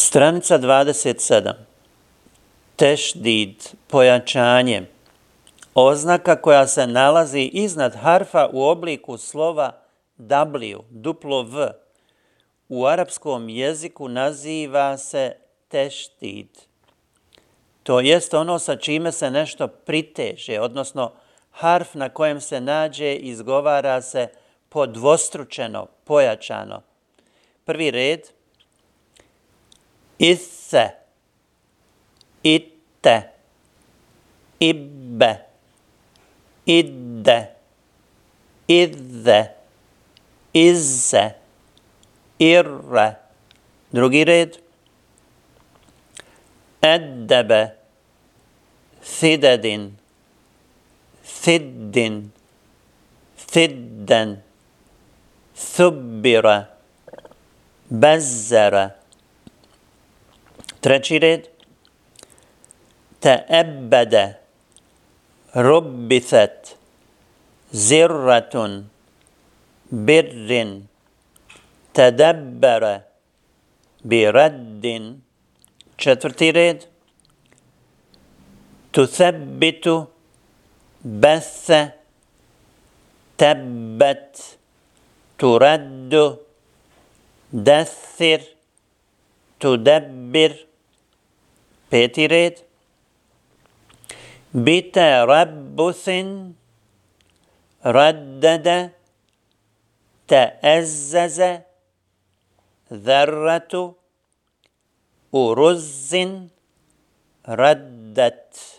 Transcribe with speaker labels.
Speaker 1: Stranica 27. Tešdid, pojačanje. Oznaka koja se nalazi iznad harfa u obliku slova W, duplo V. U arapskom jeziku naziva se tešdid. To jest ono sa čime se nešto priteže, odnosno harf na kojem se nađe izgovara se podvostručeno, pojačano. Prvi red. Isse, itte, ibbe, idde, idde, izze, irre. Drugi red. Eddebe, thidedin, thiddin, thidden, thubbira, bezzera. Treći red. Te'ebbede, rubbithet, zirratun, birrin, tedebbere, biraddin. Četvrti red. Tuthabbitu, bethe, tebbet, turaddu, dethir, tudebbir. Peti red. Bite rabbuthin, raddada, te'ezzaza, dharratu, uruzzin, raddat.